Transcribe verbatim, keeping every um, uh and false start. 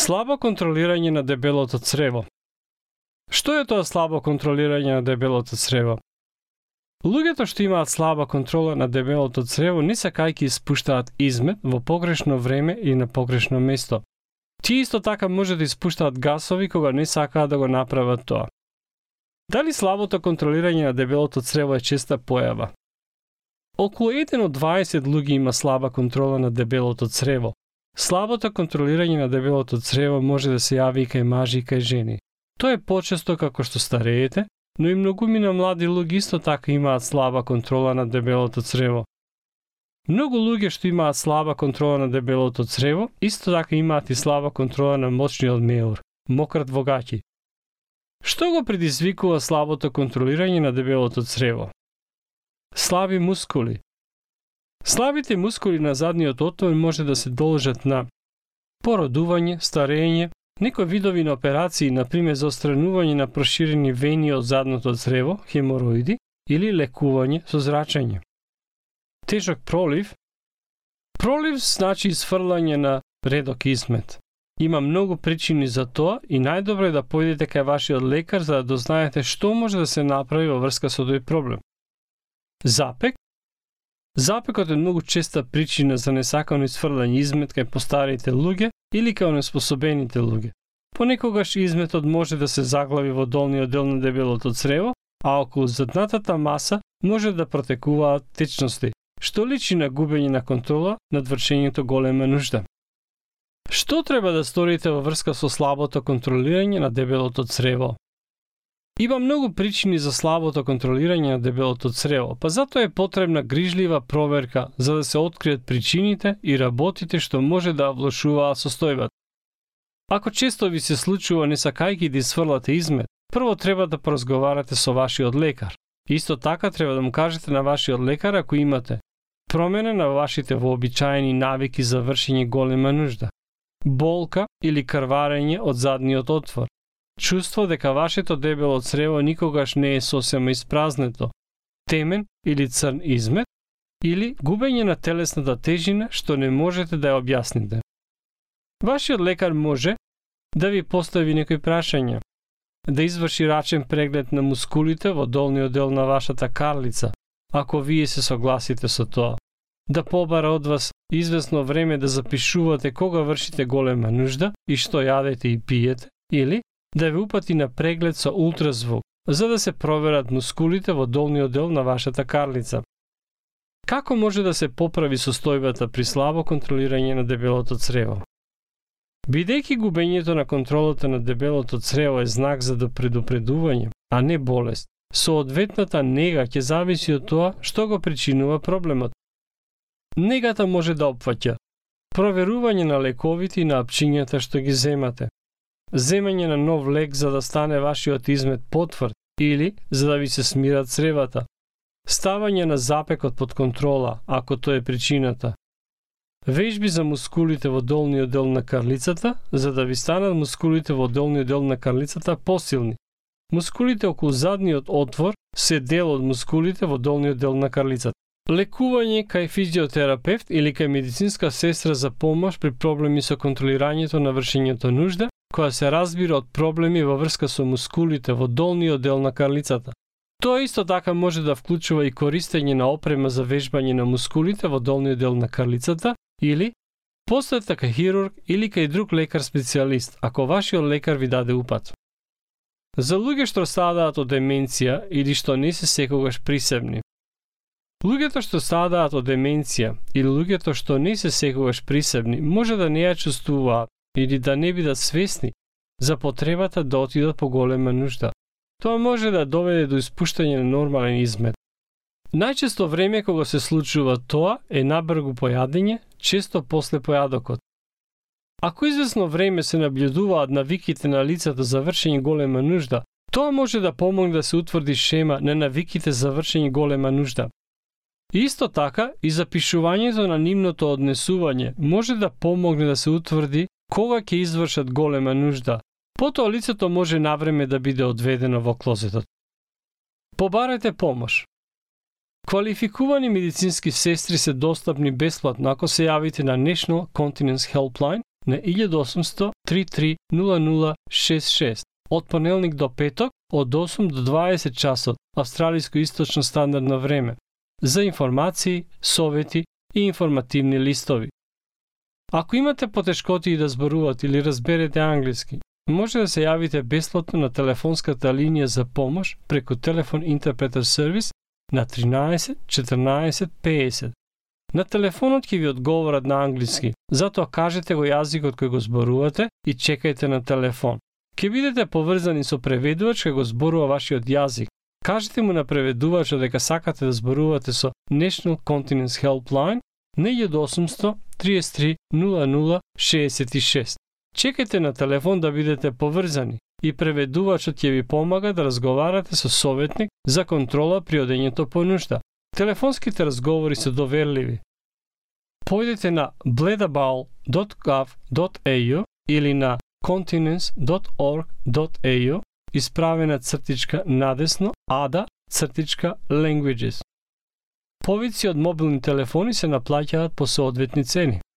Слабо контролирање на дебелото црево. Што е тоа слабо контролирање на дебелото црево? Луѓето што имаат слаба контрола на дебелото црево не сакајќи испуштаат измет во погрешно време или на погрешно место. Тие исто така може да испуштаат гасови кога не сакаат да го направат тоа. Дали слабото контролирање на дебелото црево е честа појава? Околу еден од дваесет луѓе има слаба контрола на дебелото црево. Слабото контролирање на дебелото црево може да се јави и кај мажи и кај жени. Тоа е почесто како што стареете, но и многумина млади луѓе исто така имаат слаба контрола на дебелото црево. Многу луѓе што имаат слаба контрола на дебелото црево, исто така имаат и слаба контрола на мочниот меур, мократ во гаќи. Што го предизвикува слабото контролирање на дебелото црево? Слаби мускули. Слабите мускули на задниот отвор може да се должат на породување, старење, некои видови на операции, например за отстранување на проширени вени од задното црево, хемороиди, или лекување со зрачење. Тежок пролив. Пролив значи изфрлање на редок измет. Има многу причини за тоа и најдобро е да појдете кај вашиот лекар за да дознаете што може да се направи во врска со тој проблем. Запек. Запекот е многу честа причина за несакано изфрлање измет кај постарите луѓе или кај онеспособените луѓе. Понекогаш изметот може да се заглави во долниот дел на дебелото црево, а околу заднатата маса може да протекуваат течности, што личи на губење на контрола над вршењето голема нужда. Што треба да сторите во врска со слабото контролирање на дебелото црево? Има многу причини за слабото контролирање на дебелото црево, па затоа е потребна грижлива проверка за да се откријат причините и работите што може да влошуваат состојбата. Ако често ви се случува не сакајќи да изфрлате измет, прво треба да поразговарате со вашиот лекар. Исто така треба да му кажете на вашиот лекар ако имате промена на вашите вообичаени навики за вршење голема нужда, болка или крварење од задниот отвор, чувство дека вашето дебело црево никогаш не е сосема испразнето, темен или црн измет, или губење на телесната тежина што не можете да ја објасните. Вашиот лекар може да ви постави некои прашања, да изврши рачен преглед на мускулите во долниот дел на вашата карлица, ако вие се согласите со тоа, да побара од вас извесно време да запишувате кога вршите голема нужда и што јадете и пиете, или да ви упати на преглед со ултразвук, за да се проверат мускулите во долниот дел на вашата карлица. Како може да се поправи состојбата при слабо контролирање на дебелото црево? Бидејќи губењето на контролата на дебелото црево е знак за предупредување, а не болест, соодветната нега ќе зависи од тоа што го причинува проблемот. Негата може да опфаќа проверување на лековите и на апчињата што ги земате, земање на нов лек за да стане вашиот измет потврд или за да ви се смират цревата, ставање на запекот под контрола, ако тоа е причината, вежби за мускулите во долниот дел на карлицата, за да ви станат мускулите во долниот дел на карлицата посилни. Мускулите околу задниот отвор се дел од мускулите во долниот дел на карлицата. Лекување кај физиотерапевт или кај медицинска сестра за помош при проблеми со контролирањето на вршењето нужда, која се разбира од проблеми во врска со мускулите во долниот дел на карлицата. Тоа исто така може да вклучува и користење на опрема за вежбање на мускулите во долниот дел на карлицата или посета кај хирург или кај друг лекар специјалист, ако вашиот лекар ви даде упат. За луѓе што страдаат од деменција или што не се секогаш присебни. Луѓето што страдаат од деменција или луѓето што не се секогаш присебни може да не ја чувствуваат или да не бидат свесни за потребата да отидат по голема нужда. Тоа може да доведе до испуштање на нормален измет. Најчесто време кога се случува тоа е набргу појадење, често после појадокот. Ако извесно време се наблюдуваат навиките на лицето за вршење голема нужда, тоа може да помогне да се утврди шема на навиките за вршење голема нужда. Исто така и запишувањето на нивното однесување може да помогне да се утврди кога ќе извршат голема нужда. Потоа лицето може навреме да биде одведено во клозетот. Побарајте помош. Квалификувани медицински сестри се достапни бесплатно ако се јавите на National Continence Helpline на еден осумсто три три нула нула шест шест од понеделник до петок од осум до дваесет часот австралиско источно стандардно време за информации, совети и информативни листови. Ако имате потешкоти да зборувате или разберете англиски, може да се јавите бесплатно на телефонската линија за помош преку телефон интерпретер сервис на тринаесет четрнаесет песет. На телефонот ќе ви одговорат на англиски, затоа кажете го јазикот кој го зборувате и чекајте на телефон. Ќе бидете поврзани со преведувач кој го зборува вашиот јазик. Кажете му на преведувачот дека сакате да зборувате со National Continence Helpline на еден осумсто триесет три нула нула шеесет и шест. Чекајте на телефон да бидете поврзани и преведувачот ќе ви помага да разговарате со советник за контрола при одењето по нушта. Телефонските разговори се доверливи. Појдете на bledabowl dot gov dot a u или на continence dot org dot a u исправена цртичка надесно ада цртичка languages. Повици од мобилни телефони се наплаќаат по соодветни цени.